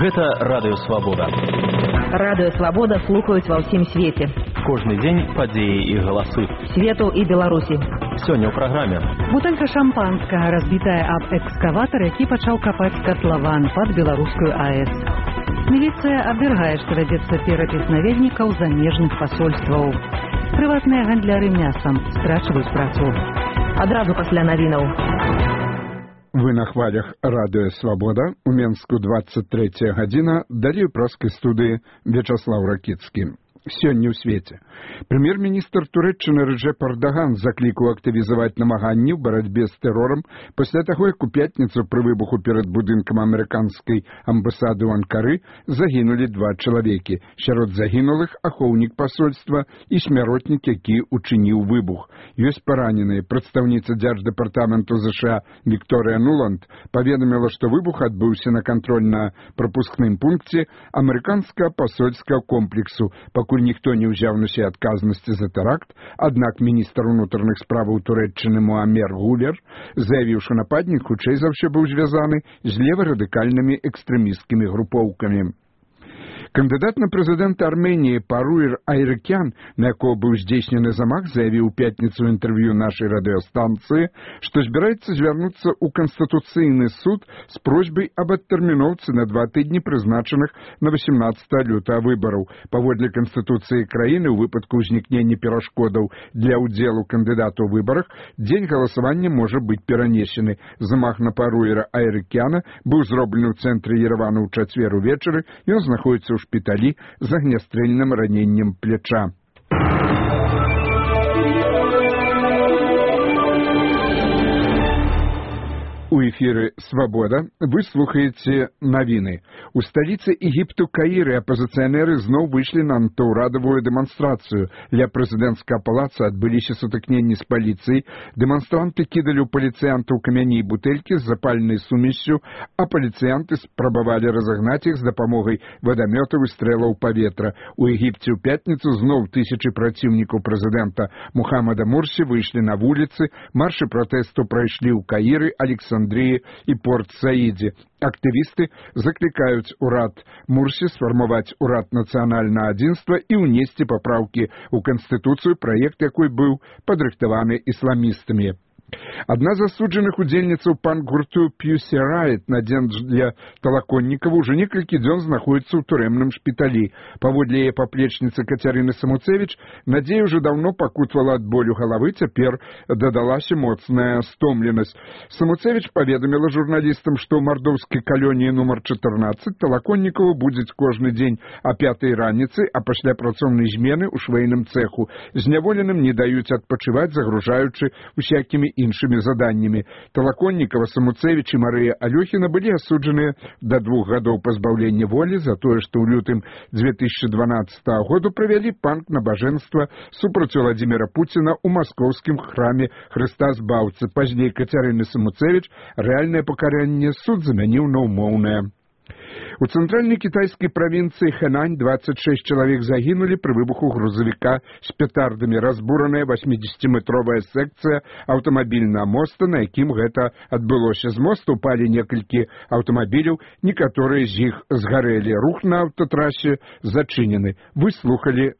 Гэта Радыё Свабода. Радыё Свабода слухаюць ва ўсім свеце. Кожны дзень падзеі і галасы. Свету і Беларусі. Сёння ў праграме. Бутэлька шампанскага разбітая аб экскаватар, які пачаў капаць катлаван пад беларускую АЭС. Міліцыя абвяргае, што вядзецца перапіс наведнікаў замежных пасольстваў. Прыватныя гандляры мясам страчваюць працу. Адразу пасля навінаў. Вы на хвалях Радыё Свабода. У Менску 23 гадзіна. Далей у праскай студыі Вячаслав Ракіцкі. Сёння ў свеце. Прэм'ер-міністр Турэччыны Рэджэп Эрдаган заклікаў актывізаваць намаганні ў барацьбе з тэрорам пасля таго, як у пятніцу пры выбуху перад будынкам амерыканскай амбасады ў Анкары загінулі 2 чалавекі. Сярод загінулых ахоўнік пасольства і смяротнік, які учыніў выбух. Ёсць параненыя. Прадстаўніца дзярждэпартаменту ЗША Вікторыя Нуланд паведаміла, што выбух адбыўся на кантрольна-прапускным пункце амерыканскага пасольскага комплексу, пакуль ніхто не ўзяў на сябе адказнасці за тэракт, аднак міністр унутраных справаў Турэччыны Муамер Гулер заявіў, што нападнік хутчэй за ўсё быў звязаны з леварадыкальнымі экстрэмісцкімі групоўкамі. Кандыдат на прэзідэнта Арменіі Паруир Айрыкян, на якого быў здзейснены замах, заявіў у пятніцу ў інтэрв'ю нашай радыёстанцыі, што збіраецца звярнуцца ў Канстытуцыйны суд з просьбай аб адтэрміноўцы на 2 тыдні прызначаных на 18 лютага выбараў. Паводле Канстытуцыі краіны, у выпадку ўзнікнення перашкодаў для ўдзелу кандыдата ў выбарах, дзень галасавання можа быць перанесены. Замах на Паруира Айрыкяна быў зроблены ў цэнтры Ерэвана ў чацвер увечары, ён знаходзіцца ў шпіталі з агнястрэльным раненнем пляча. У эфіры «Свабода» вы слухаеце навіны. У сталіцы Егіпту Каіры апазіцыянеры зноў выйшлі на антыўрадавую дэманстрацыю. Ля прэзідэнцкага палаца адбыліся сутыкненні з паліцыяй. Дэманстранты кідалі ў паліцыянтаў камяні і бутэлькі з запальнай сумессю, а паліцыянты спрабавалі разагнаць іх з дапамогай вадамётаў і стрэлаў паветра. У Егіпце ў пятніцу зноў тысячы праціўнікаў прэзідэнта Мухаммада Мурсі выйшлі на вуліцы. Маршы пратэсту прайшлі ў Каіры, Александрыі і Порт-Саідзе. Актывісты заклікаюць урад Мурсі сфармаваць урад нацыянальнага адзінства і ўнесці папраўкі ў Канстытуцыю, праект якой быў падрыхтаваны ісламістамі. Адна з асуджаных удзельніцаў панк-гурту Pussy Riot Надзея для Талаконнікава ўжо некалькі дзён знаходзіцца ў турэмным шпіталі. Паводле яе паплечніцы Кацярыны Самуцевіч, Надзея ўжо даўно пакутавала ад болю галавы, цяпер дадалася моцная стомленасць. Самуцевіч паведаміла журналістам, што ў мардоўскай калоніі нумар 14 Талаконнікаву будзець кожны дзень о 5 раніцы, а пасля працоўнай змены ў швейным цэху. Зняволеным не даюць адпачываць, загружаючы усякімі іншымі заданнямі. Талаконнікава, Самуцевіч і Марыя Алёхіна былі асуджаныя да 2 гадоў пазбаўлення волі за тое, што ў лютым 2012 году правялі панк-набажэнства супраць Владзіміра Пуціна ў маскоўскім храме Хрыста Збаўцы. Пазней Кацярыны Самуцевіч рэальнае пакаранне суд заменіў на ўмоўнае. У цэнтральнай кітайскай правінцыі Хэнань 26 чалавек загінулі пры выбуху грузавіка з петардамі. Разбураная 80-метровая секцыя аўтамабільнага моста, на якім гэта адбылося. З моста упалі некалькі аўтамабіляў, некаторыя з іх згарэлі. Рух на аўтатрасе зачынены. Вы слухалі